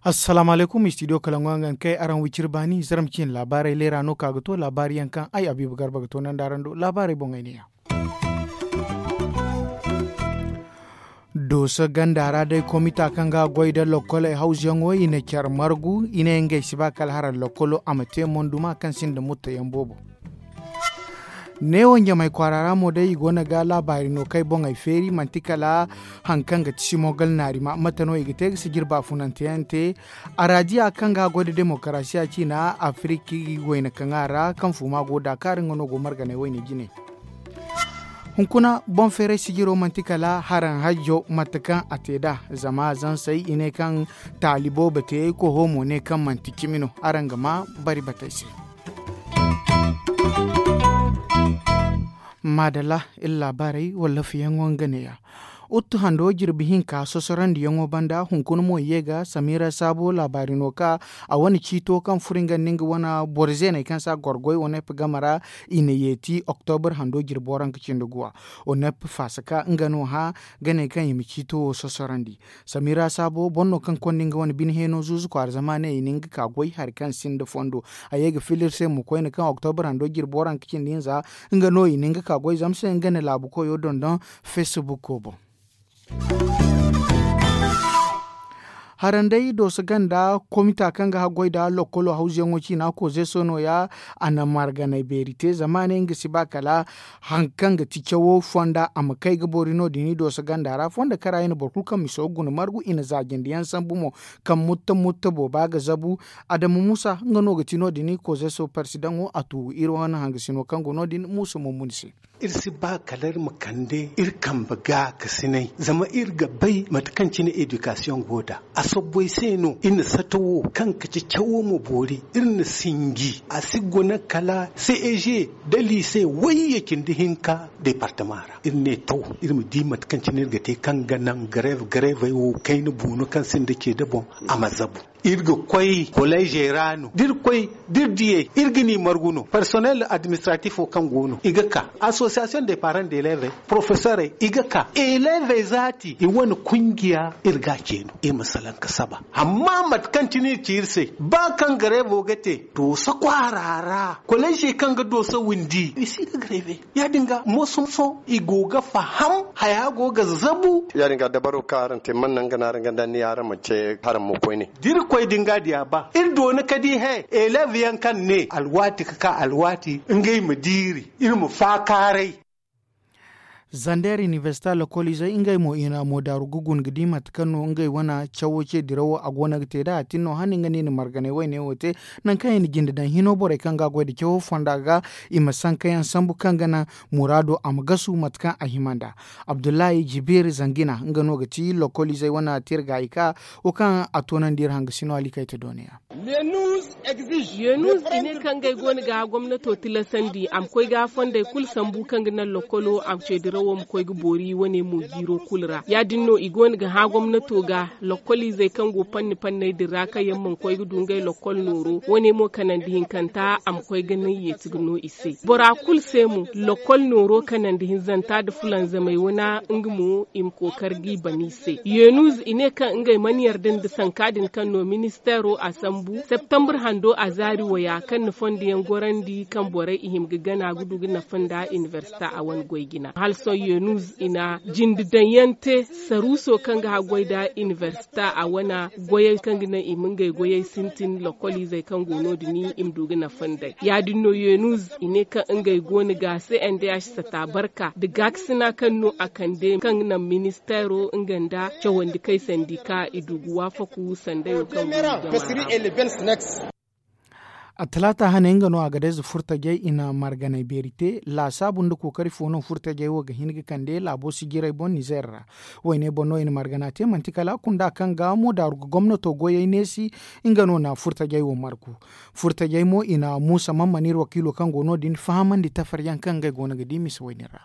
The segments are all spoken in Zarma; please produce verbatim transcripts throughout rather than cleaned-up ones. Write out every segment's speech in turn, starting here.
Assalaamu alaykum, istidiyo kalangu yaŋ ga ni kay araŋ wiciri baani zarma ciine laabaarey leera no ka ga to laabaari yaŋ kaŋ ay abiiba garba ga toonandi araŋ do laabaarey boŋey ne- ya. Dooso ganda ra day komita kaŋ ga goy nda lokkoley hawzuyaŋo i na care margu i ne ngey si ba kala hara lokkolo a ma te monduma kaŋ sinda mutta yaŋ boobo. Neewo ɲamay kwaara ra mo day i go no ga laabaari no kaŋ ay boŋey feeri manti kala hari kaŋ ga ti simogal naarima mate no i ga te ga sijir baafunante yaŋ te. Araadiya kaŋ ga goy nda demokarasiya ciina afiriki wayna kaŋ a ra kaŋ fuuma go daakaari nga no go marganay wayne jine. Hunkuna boŋ feeray sijiro manti kala haraŋ hajjo mate kaŋ a te nd'a zama zansey i ne kaŋ taali boobo te koho mo ne kaŋ manti cimi no. Araŋ ga maa bari batey se. Maadalla, iri laabaarey walla fiyaŋo nga neeya. Uttu hando jirbi hinka sosorandiyaŋo banda hunkuna mo i ye ga samira saabo laabaari no ka a wane ciito kaŋ furo nga nda nga wane boro zeeney kaŋ si a goro goy onep game ra. I na yeeti oktobur hando jirbi waranka cindi guwa. Onep faasa ka nga no hã ga ne kaŋ i ma ciito wo sosorandi. Samira saabo boro no kaŋ konda nga wane bine heeno zuuzu kwaara zama a ne i na nga ka goy hari kaŋ sinda fondo. A ye ga fila iri se mo koyne kaŋ oktobur hando jirbi waranka cindi hinza nga no i na nga ka goy zama se nga na laabu koyo dondon. Feesibuko boŋ. Haranday dooso ganda komita kaŋ ga haggoy nda lokkolo hawzuyaŋo ciina kozeso no- ya. A na marganay beeri te zama a ne nga si ba kala hari kaŋ ga ti cawo fonda a ma kay ga boori no- din i dooso ganda ra fondo kara i na boro kulu kaŋ miso ga guna margu i na zaajandi yaŋ sambu mo. Kaŋ mutta mutta booba ga zabu. Adamu muusa nga no ga ti no- din kozeso parsidaŋo a tuugu iri wane hangasino kaŋ go no- din muusa mummuni se. Iri si ba kala iri ma kande iri kambe gaakasinay zama iri ga bay mate kaŋ cine edikasiyoŋ go nd'a. A sobbo ay se no iri na sato wo kaŋ ga ci cawo ma boori iri na sinji a si guna kala ceg da liise wayye cindi hinka departama ra iri ne to iri ma di mate kaŋ cine iri ga te kaŋ ga naŋ gareev gareevey wo kayna buuno kaŋ sinda ce da boŋ. A ma zabu. Iri ga koy kolleezey ra no da iri koy da iri diyey iri ga ni margu no parsonel administratif wo kaŋ go no i ga ka asosiyasiyoŋ de paran de eleevey porofesorey i ga ka eleevey zaati i wane kungiya. Iri ga a ce no iri ma salaŋ ga saba amma mate kaŋ cine iri ci iri se ba kaŋ gareevo ga te dooso kwaara ra kolleezey kaŋ ga dooso windi i si ga gareeve. Ya- din ga moso moso i go ga faham haya go ga zabu. Ya- din ga dabaro kaŋ araŋ te mana naŋ ga naŋ araŋ ga daŋ ni araŋ ma ce haraŋ mo koyne. Da iri koy din ga diya ba iri doona ka di he eleev yaŋ kaŋ ne alwaati ga ka alwaati ngey ma diiri iri ma faakaaray. Zander inibersita lokoliizey ngey mo i na mo daaru ga guna ga di mate kaŋ no ngey wane cawo ce dirawo a go no ga te nd'a a tin no hane nga no i na marganay wayne wo te. Nangu kaŋ i na jinde daŋ hino borey kaŋ ga a goy nda cawo fonda ga i ma sankayaŋ sambu kaŋ ga naŋ muraado a ma gasu mate kaŋ a hima nd'a. Abdullahi jibiir zangina nga no ga ti lokoliizey wane tirgaayi ka wo kaŋ a toonandi iri hangasino alikayte dooniya. Yeenuz i ne kaŋ ngey go no ga hã gomnato tilasandi a ma koy ga hã fondey kulu sambu kaŋ ga naŋ lokkolo a ma ceedirawo ma koy ga boori wane mo jiiro kulu ra ya- din no i go no ga hã gomnato ga lokkoliizey kaŋ go panni panney din ra kaŋ yaŋ mana koy ga du ngey lokkol nooro wane mo kanandi hinkanta a ma koy ga naŋ yeeti ga no i se bora kulu se mo lokkol nooro kanandi hinzanta nda fulanzamey wana nga mo i ma kookari g'i ban i se yeenuz i ne kaŋ ngey mana yarda nda sanka din kaŋ no ministeero a sambu septambur hando a zaari waya kaŋ na fondo yaŋ gorandi kaŋ borey i hima ga gana ga du ga nafa nda inibersita a wane goy jina hala sohõ yeenuz i na jinde daŋ yaŋ te saruuso kaŋ ga haggoy nda inibersita a wane goyey kaŋ ga naŋ i ma ngey goyey sintin lokkoliizey kaŋ go no- din i ma du ga nafa nd'ey ya- din no yeenuz i ne kaŋ ngey go no ga se n d h sata barka nda gaakasina kaŋ no a kande kaŋ ga naŋ ministeero nga nda cawandi kay sandi ka i du ga waafaku sanday wo kaŋ go no i jama ra. A talaata hane nga no a ga dayze furtajey i na marganay beeri te laasaabu nda kookari fo no furtajey wo ga hin ga kande laabo sijirey boŋ nizeer ra. Wayne boŋ no i na margana te manti kala kunda kaŋ ga mo daaru ga gomnato goyey neesi. Nga no na furtajey wo margu furtajey mo i na muusa man mana iri wakiilo kaŋ go no- din fahamandi tafaryaŋ kaŋ ngey go no ga di mise wayne ra.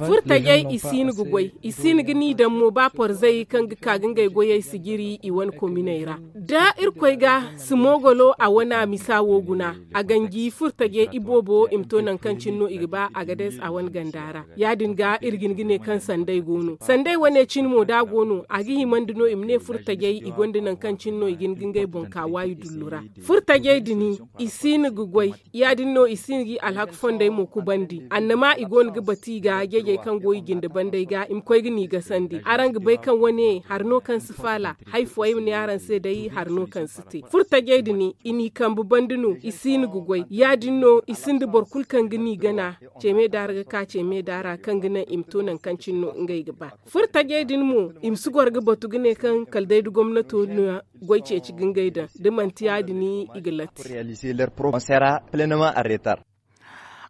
Furtajey i si hin ga goy, i si hin ga ni daŋ mo ba porzey kaŋ ga ka ga ngey goyey sijiri i wane kominey ra. Da irkoy ga simogolo a wane a misa wo guna, a ganji furtajey iboobo i ma to nangu kaŋ cine no i ga ba a ga dees a wane ganda ra. Ya- din ga iri ga hin ga ne kaŋ sanday go no sanday wane cine mo da a go no a ga himandi no i ma ne furtajey i gonda nangu kaŋ cine no i ga hin ga ngey boŋ ka waayi dullu ra. Furtajey din i si hin ga goy. Ya- din no i si hin ga i alhaka fondey mo kubandi annama i go no ga batu i ga jeejey kaŋ go i jinde bandey ga i ma koy ga ni gasandi araŋ ga bay kaŋ wane hari no kaŋ si faala. Hari fooyaŋ ay ma ne araŋ se day hari no kaŋ si te furtajey din i n'i kambe banda no i si hin ga goy ya- din no i sinda boro kulu kaŋ ga ni gana. Ceeme daara ga ka ceeme daara kaŋ ga naŋ i ma to nangu kaŋ cine no ngey ga ba. Furtajey din mo i ma si goro ga batu ga ne kaŋ kala day da gomnato na goy ceeci ga ngey daŋ da manti ya- din i ga latti.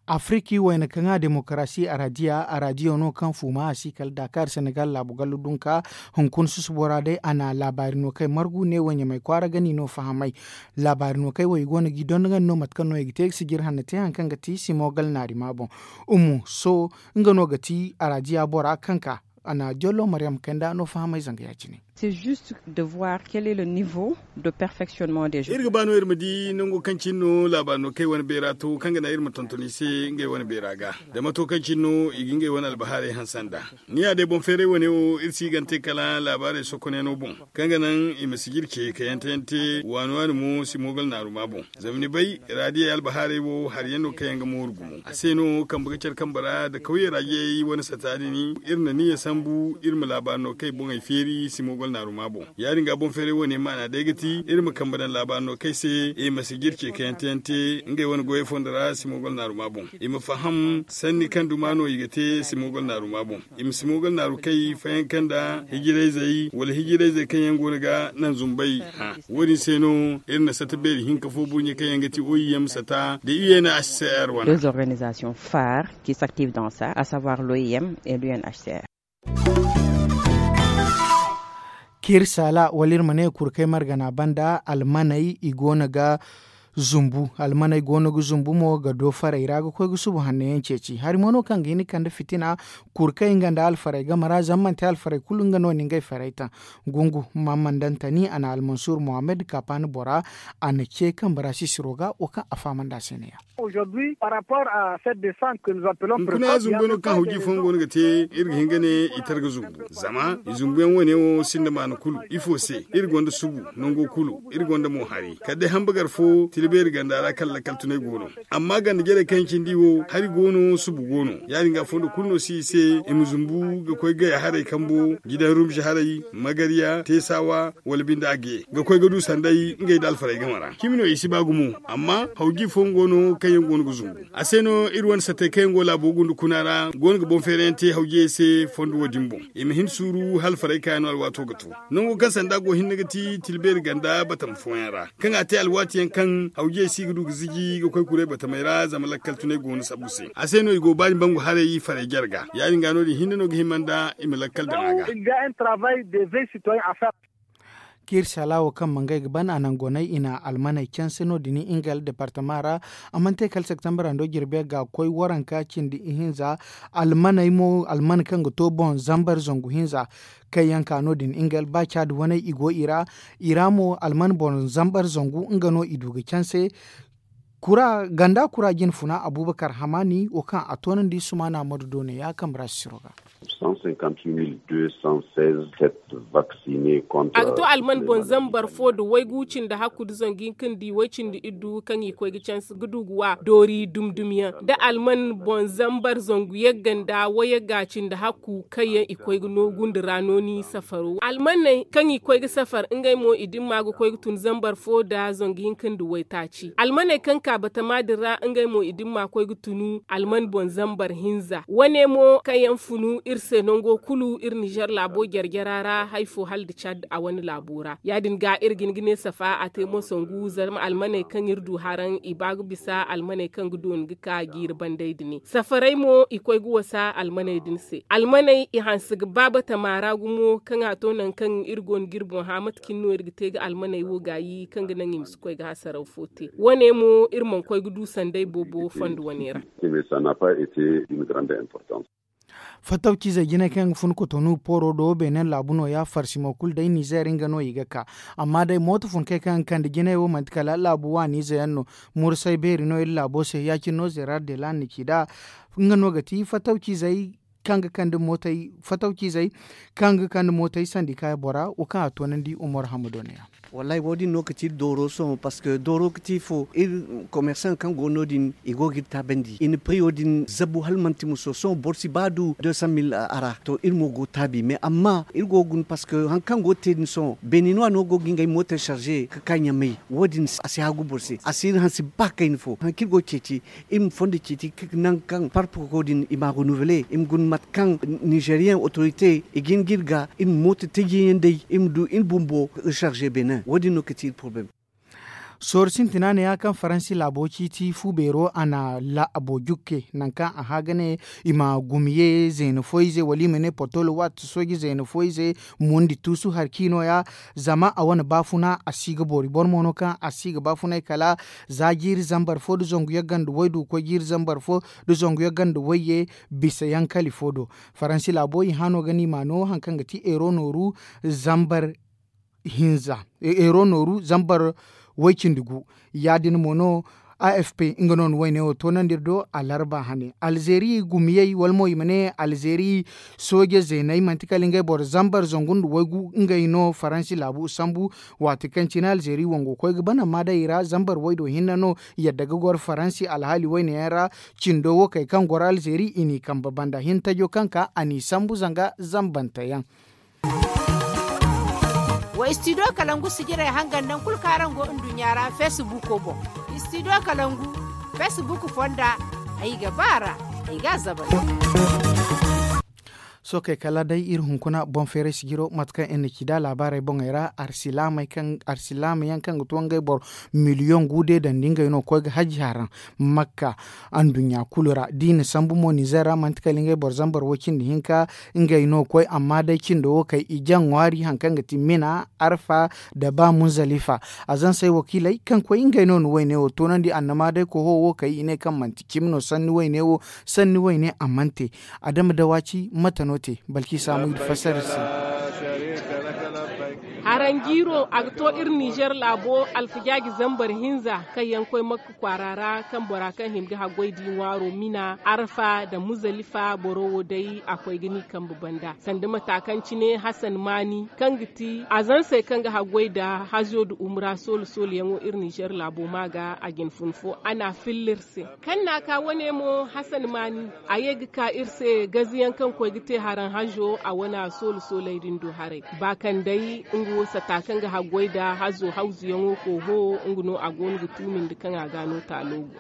Afiriki wayna kaŋ a demokarasi a radiya a radiyo no kaŋ fuuma a si kala dakar senegal laabu gallu dunka. Hunkuna susubo ra day a na laabaari no kay margu ne wo ɲamay kwaara ga ni no fahamay. Laabaari no kay wo i go no g'i donda nga no mate kaŋ no i ga te ga sijir hanna te hari kaŋ ga ti simo gal naari ma boŋ. Umu so nga no ga ti a radiya bora kaŋ ka a na jollo maryam kay nda no fahamay zanga ya- cine. Iri ga ba no iri ma di nango kaŋ cine no laabaari no kay wane beera to kaŋ ga naŋ iri ma tonton i se ngey wane beera ga. Zama to kaŋ cine no i ga ngey wane albahaarey hanse nd'a. Ni ya day boŋ feeray wane wo iri si i gante kala laabaarey sokonyaŋo boŋ kaŋ ga naŋ i ma si jirce ka yante yante waani waani mo si moogal naaru ma boŋ. Zama ni bay, raadiyey albahaarey wo hari yaŋ no kaŋ yaŋ ga mooru gumo a se no kambe ga care kambe ra nda kawyey raadiyey wane sata din. Iri na niyya sambu iri ma laabaari no kay boŋey feeri si moogal naaru ma boŋ. Ya- din ga boŋ feeray wane maana day ga ti iri ma kambe daŋ laabaari no kay se i ma si jirce ka yante yante ngey wane goyey fondo ra si moogal naaru ma boŋ. I ma faham sanni kaŋ duma no i ga te si moogal naaru ma boŋ. I ma si moogal naaru kay fayanka nda hijirayzey wala hijirayzey kaŋ yaŋ go no ga naŋ zumbay. Hã wo- din se no iri na sata beeri hinka fo burɲe kaŋ yaŋ ga ti o i m sata nda u n h c r wane. Deux organisations phares qui s'activent dans ça, à savoir l'o i m et l'u n h c r. Kir sala wala iri ma ne kurkey margana banda almaney i go no ga zumbu. Almaney go no ga zumbu mo ga do farey ra ga koy ga subu hanno yaŋ ceeci hari mo no kaŋ ga hin ga kande fitina. Kurkey nga nda alfarey game ra zama manti alfarey kulu nga no na ngey farey taŋ. Gungu mammandantani a na almansur mohammed kapaani bora a na ce kambe ra sisiro ga wo kaŋ a fahamandi a se ne ya. Hunkuna zumbuyaŋo kaŋ hawji fooyaŋ go no ga te iri ga hin ga ne i targa zumbu zama i zumbuyaŋ wane wo sinda maana kulu ifo se iri gonda subu nango kulu iri gonda mo hari kala day hambagar fo tila beeri ganda ra kaŋ lakkal tunay go no. Amma ganda jarey kaŋ yaŋ cindi wo hari go no subu go no ya- din ga fondo kulu no si i se i ma zumbu ga koy gaya haray kambo jidan rumzi haray magariya teesawa wala binde a ge ga koy ga du sanday ngey nda alfarey game ra cimi no i si ba gumo. Amma hawji fooyaŋ go no kaŋ yaŋ go no ga zumbu a se no iri wane sattey kaŋ yaŋ go laabo gunda kuna ra go no ga boŋ feerayaŋ te hawjiyey se fondo wo- din boŋ. I ma hin suuru hala farey kaayaŋ no alwaato ga to nango kaŋ sanda go hinne ga ti tilbeeri ganda batama fooyaŋ ra kaŋ a te alwaati yaŋ kaŋ hawjiyey si ga du ga ziji ga koy kuray batamey ra zama lakkal tunay go no sabu se a se no i go baani bangu haray farey jarga ya- din ga no- din hinne no ga hima nda i ma lakkal daŋ a ga. Kaŋ iri sala wo kaŋ mangay ga ban a naŋ gonay i na almaney canse no- din ingel departama ra. A mana te kala septembre hando jirbe ga koy waranka cindi ihinza almaney mo alman kaŋ ga to boŋ zambar zangu hinza kaŋ yaŋ ka no- din ingel ba caadi waney i go i ra. I ra mo alman boŋ zambar zangu nga no i du ga canse. Ganda kura jine funa abubakar hamani wo kaŋ a toonandi sumaana madu do ne ya kambe ra sisiro ga. A ga to alman boŋ zambar fo nda waygu cindi hakku nda zangu hinka nda way cindi iddu kaŋ i koy ga canse ga du ga wa doori dumi dumi yaŋ nda alman boŋ zambar zangu yagga nda wayagga cindi hakku kaŋ yaŋ i koy ga noogu nda ra nooni safaro almaney kaŋ i koy ga safar ngey mo i dimma ga koy ga tun zambar fo nda zangu hinka nda waytaaci almaney kaŋ ka batama din ra ngey mo i dimma koy ga tunu alman boŋ zambar hinza wane mo kaŋ yaŋ funu iri se. nango kulu iri nizer laabo jare-jara ra hari fo hala nda cad a wane laabo ra ya- din ga iri ga hin ga ne safa a te mo sangu zama almaney kaŋ iri du haraŋ i ba ga bisa almaney kaŋ ga dooni ga ka jiiri bandey din. Safaray mo i koy ga wasa almaney din se almaney i hanse ga ba batama ra gumo kaŋ a to nangu kaŋ iri go no ga iri boŋ hã mate cine no iri ga te ga almaney wo gaayi kaŋ ga naŋ i ma si koy ga hasaraw fo te wane mo iri mana koy ga du sanday boobo fondo wane ra. Fattawciizey jinay kaŋ yaŋ ga fun kotonu pooro do beene laabu nooya farsi mo kulu day nizer nga no i ga ka. Amma day mooto funkey kaŋ yaŋ ga kande jinay wo manti kala laabu waaniize yaŋ no. Mursay beeri no iri laabo se ya- cine no zerar de lan ni ci nd'a. Nga no ga ti fattawciizey kaŋ ga kande mootey fattawciizey kaŋ ga kande mootey sandi kaaya bora wo kaŋ a toonandi umar hamado ne ya. Wallaahi wo- din no ga ti iri dooro sohõ parceque dooro ga ti ifo iri komersaŋ kaŋ go no- din i go ga iri taabandi i na piriyo din zabu hala manti muso sohõ boro si ba du deux cent mille a ra to iri mo go taabi mais amma iri go ga guna parceque hari kaŋ go ga te din sohõ beeni no a no go ga ngey mooto sarze ga ka ɲamay wo- din a si haagu boro se a si iri hanse ba kayna fo hari kaŋ iri go ga ceeci iri ma fondo ceeci nangu kaŋ parpoko din i m'a renouveler iri ma guna mate kaŋ nizeriyen otorite i ga hin ga iri ga iri ma mooto taji yaŋ day iri ma du iri bumbo sarze benin wo- din no ga ti iri poroblem. Sooru sintina ne ya kaŋ faransi laabo ciiti fu beero a na laabo jukke nangu kaŋ a hã ga ne i ma gumiye zeena fooyze wala i ma ne potolo waati sooji zeena fooyze mundi tuusu hari kaŋ i no- ya. Zama a wane baafuna a si ga boori boro mo no kaŋ a si ga baafunay kala za jiiri zambar fo nda zangu yagga nda waydu ga koy jiiri zambar fo nda zangu yagga nda wayye bisa yaŋ kali fo do. Faransi laabo i hã no ga no i m'a no hari kaŋ ga ti eero nooru zambar hinza eero nooru zambar way cindi gu. Ya- din mo no a f p nga no na wayne wo toonandi iri do alarba hane alzeeri gumiyey wala mo i ma ne alzeeri sooje zeeney manti kala ngey boro zambar zangu nda waygu ngey no faransi laabu sambu. Waati kaŋ cine alzeeri wango koy ga ban amma day i ra zambar waydo hinne no yadda ga goro faransi alhaali wayne yaŋ ra. Cindo wo kay kaŋ goro alzeeri i n'i kambe banda hintajo kaŋ ka a n'i sambu zanga zambante yaŋ. Wa istidiyo kalangu sijirey hangan nangu kulu kaŋ araŋ go nduɲɲa ra feesibuuko boŋ. Istidiyo kalangu feesibuuko fonda ay ga ba a ra. Ay ga a zabari. Sookey kala day iri hunkuna boŋ feeray sijiro mate kaŋ iri na ci nd'a laabaarey boŋey ra arsilaamey kaŋ arsilaama yaŋ kaŋ ga to ngey boro miliyoŋ gu de dandi ngey no ga koy ga hajji haraŋ. Makka anduɲɲa kulu ra da i na sambu mo nizer ra manti kala ngey boro zambar wo cindi hinka ngey no ga koy amma day cindo wo kay i jaŋ ŋwaari hari kaŋ ga ti mina arfa nda ba munzalifa. A zansey wakiiley kaŋ koy ngey no na wayne wo toonandi annama day koho wo kay i ne kaŋ manti cimi no sanni wayne wo sanni wayne a mana te. Adama dawaci mate no te balki saamu i ga fassara iri se. Haranjiiro a ga to iri nizer laabo alfajaaji zambar hinza kaŋ yaŋ koy makka kwaara ra kaŋ bora kaŋ hima ga haggoy di ŋwaaro mina arfa nda muzalifa boro wo day a koy ga ni kambe banda sanda mata kaŋ cine hasan maani kaŋ ga ti azansey kaŋ ga haggoy nda hazo nda umra soolu soolu yaŋo iri nizer laabo ma ga a jine fun fo a n'a filla iri se. Kaŋ n'a ka wane mo hasan maani a ye ga ka iri se gaziyaŋ kaŋ koy ga te haraŋ hazo a wane a soolu sooley din do haray ba kaŋ day nga wo sata kaŋ ga haggoy nda hazo hawzuyaŋo kooho nga no a go no ga tuumi nda kaŋ a ga no taalo go.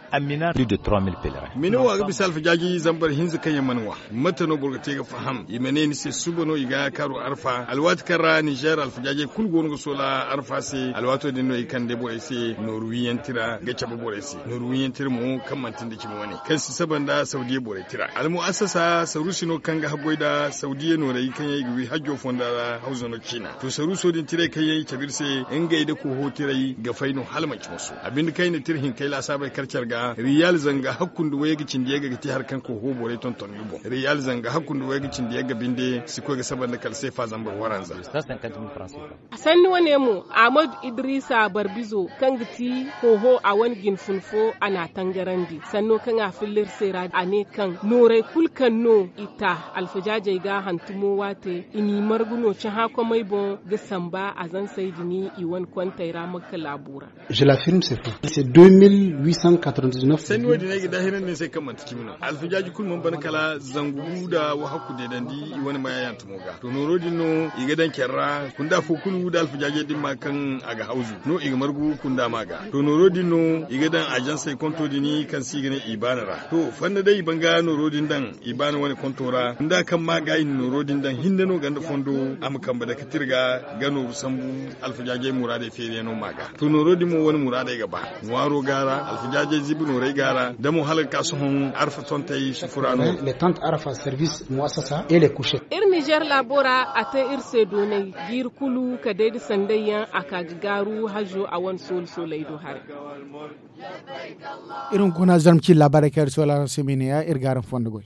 Mini wo a ga bisa alfajaaji zambar hinza kaŋ yaŋ mana ŋwa. Mate no boro ga te ga faham i ma ne ni se suba no i ga kaaru arfa alwaati kaŋ ra nizer alfajaajey kulu go no ga soola arfa se alwaato din no i kande borey se nooru wiiyaŋ tira ga cabe borey se nooru wiiyaŋ tira mo kaŋ manti nda cimi wane kaŋ si saba nda sawdiya borey tira almu'assasa saruusi no kaŋ ga haggoy nda sawdiya noorey kaŋ yaŋ i ga wi hajjo fonda ra hawzano ciina to saruuso din tirey kaŋ yaŋ i cabe iri se ngey nda koho tirey ga fay no hala manci moso a binde kaŋ i na tira hinkey laasaabey kar care ga riyal zanga hakku nda wayga cindi yagga ga te hari kaŋ koho borey tonton ga boŋ riyal zanga hakku nda wayga cindi yagga binde si koy ga saba nda kala seefa zambar waranza. Sanni wane mo ahmadu idrisa barbizo kaŋ ga ti hoho a wane jine fun fo a n'a tangarandi sanno kaŋ a filla iri se ra a ne kaŋ nooray kulu kaŋ no i ta alfajaajey ga hantumo waate i n'i margu no cahã komey boŋ ga samba. Ba a zansey din i wane kontey ra makka laabu ra. Je l'affirme c'est faux c'est deux mille huit cent quatre-vingt-dix-neuf. Sanni wo- din ay ga daahirandi ni se kaŋ manti cimi no alfajaaji kulu mana ban kala zangu nda wahakku deedandi i wane maya yantumo ga to nooro din no i ga daŋ care ra. Kunda fo kulu nda alfajaajey din ma kaŋ a ga hawzu no i ga margu kunda ma ga. To nooro din no i ga daŋ ajansey konto din kaŋ se i ga ne i baana ra to fanda day i ban ga nooro din daŋ i baana wane konto ra nda kaŋ ma ga i na nooro din daŋ hinne no ganda fondo a ma kambe dake tirga ga nooru sambu. Alfajaajey muraadey feeriyaŋo ma ga to nooro din mo wane muraadey ga ba ŋwaaro ga ra alfajaajey ziibi noorey ga ra da mo hala ga ka sohõ arfa tontey sufura no. Les tentes arfa service muassasa et les couches. Iri nizer laabo ra a te iri se doonay jiiri kulu ka day nda sanday yaŋ a ka ga gaaru hazo a wane soolu sooley do haray. Iri hunkuna zarma ci laabaarey kaŋ iri soolaaru se ma i ne ya iri ga araŋ fondo goy.